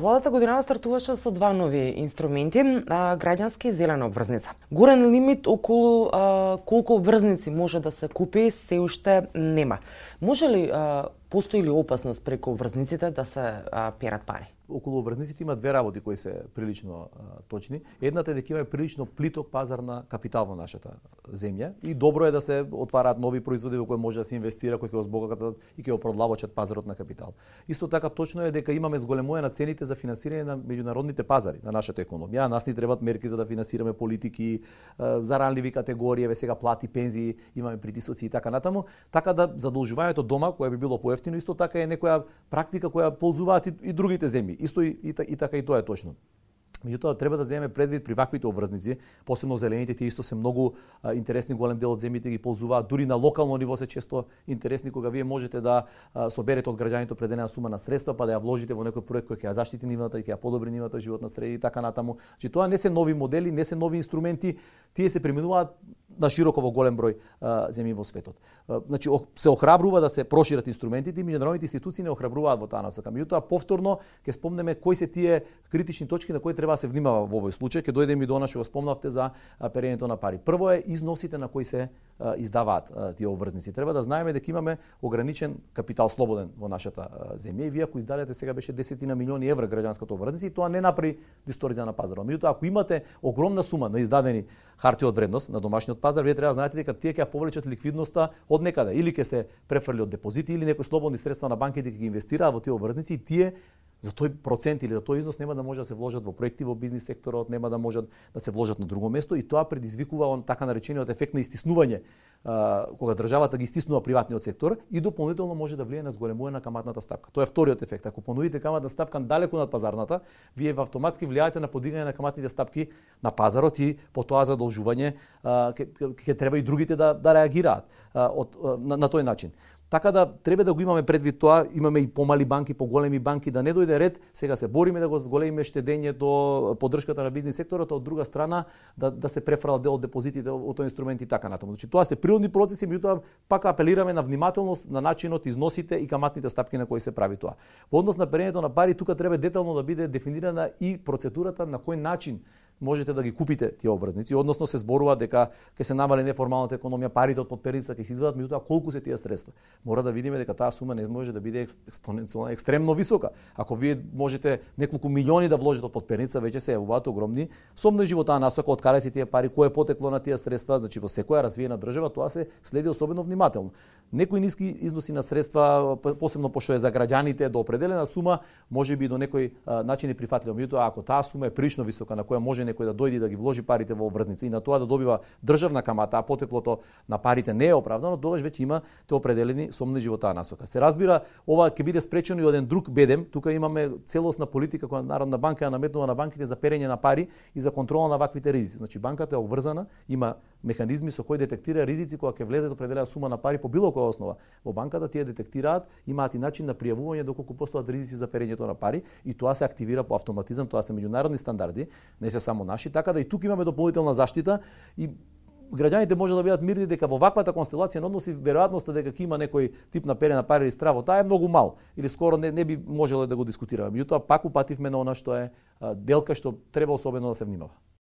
Владата годинава стартуваше со два нови инструменти, граѓанска и зелена обврзница. Горен лимит околу колку обврзници може да се купи се уште нема. Може ли, постои ли опасност преку обврзниците да се перат пари? Околу обврзниците има две работи кои се прилично точни. Едната е дека има прилично плиток пазар на капитал во нашата земја и добро е да се отвараат нови производи во кои може да се инвестира, кои ќе збогатат и ќе оproдлабочат пазарот на капитал. Исто така точно е дека имаме зголемување на цените за финансирање на меѓународните пазари на нашата економија. Нас ни требаат мерки за да финансираме политики за ранливи категории, сега плати, пензии, имаме притисоци и така натаму, така да задолжувањето дома кое би било поевтино, исто така е некоја практика која ползуваат и другите земји. Исто и така и тоа е точно. Меѓутоа треба да земеме предвид при ваквите обврзници, посебно зелените, тие исто се многу интересни, голем дел од земјите ги ползуваат, дури на локално ниво се често интересни кога вие можете да соберете од граѓаните определена сума на средства, па да ја вложите во некој проект кој ќе ја заштити нивната и ќе ја подобри нивната животна среда и така натаму. Значи тоа не се нови модели, не се нови инструменти, тие се применуваат на широко во голем број земји во светот. Значи се охрабрува да се прошират инструментите и меѓународните институции не охрабруваат во таа насока. Меѓутоа повторно ќе спомнеме кои се тие критични точки на кои треба да се внимава во овој случај. Ќе дојдеме и до она што го спомнавте за перењето на пари. Прво е износите на кои се издаваат тие обврзници. Треба да знаеме дека имаме ограничен капитал слободен во нашата земја и вие ако издадете сега беше 10 милиони евра граѓанската обврзница и тоа не направи дисторзија на пазарот. Меѓутоа ако имате огромна сума на издадени харти од вредност на домашниот пазар, вие треба да знаете дека тие ќе ја повлечат ликвидноста од некаде, или ќе се префрли од депозити или некои слободни средства на банките ќе ги инвестираат во тие обврзници и тие за тој процент или за тој износ нема да може да се вложат во проекти во бизнис секторот, нема да можат да се вложат на друго место и тоа предизвикува он така наречениот ефект на истиснување, кога државата ги истиснува приватниот сектор и дополнително може да влијае на зголемување на каматната стапка. Тоа е вториот ефект. Ако понудите каматна стапка далеку над пазарната, вие автоматски влијаете на подигање на каматните стапки на пазарот и по тоа задолжување ќе треба и другите да реагираат на тој начин. Така да треба да го имаме предвид тоа, имаме и помали банки, поголеми банки, да не дојде ред, сега се бориме да го зголемиме штедењето, поддршката на бизнис секторот, а од друга страна да се префрла дел од депозитите од тој инструмент и така натаму. Значи тоа се природни процеси, меѓутоа пак апелираме на внимателност на начинот, износите и каматните стапки на кои се прави тоа. Во однос на перењето на пари, тука треба детално да биде дефинирана и процедурата на кој начин можете да ги купите тие обврзници, односно се зборува дека ќе се намали неформалната економија, парите од подперница ќе се извадат, меѓутоа колку се тие средства. Мора да видиме дека таа сума не може да биде експоненцијално екстремно висока. Ако вие можете неколку милиони да вложите од подперница, веќе се јавуваат огромни сумни живота насока од каде се тие пари, кој е потекло на тие средства, значи во секоја развиена држава тоа се следи особено внимателно. Некои ниски износи на средства, посебно пошто е за граѓаните до определена сума, можеби до некој начин е прифатливо. Меѓутоа ако таа сума е прилично висока на која може некој да дојде да ги вложи парите во обврзници и на тоа да добива државна камата, а потеклото на парите не е оправдано, тогаш веќе има те определени сомни живота насока. Се разбира, ова ќе биде спречено и од еден друг бедем. Тука имаме целосна политика која Народна банка ја наметнува на банките за перење на пари и за контрола на ваквите ризици. Значи банката е обврзана, има механизми со кои детектира ризици кога ќе влезе определена сума на пари по било која основа. Во банката тие детектираат, имаат и начин на пријавување доколку постојат ризици за перењето на пари и тоа се активира по автоматизам, тоа се меѓународни стандарди, не се само наши, така да и тука имаме дополнителна заштита и граѓаните може да бидат мирни дека во ваквата констелација на односи веројатноста дека ќе има некој тип на пере на пари или страво, таа е многу мал или скоро не би можело да го дискутираме. Меѓутоа пак упативме на она што е делка што треба особено да се внимава.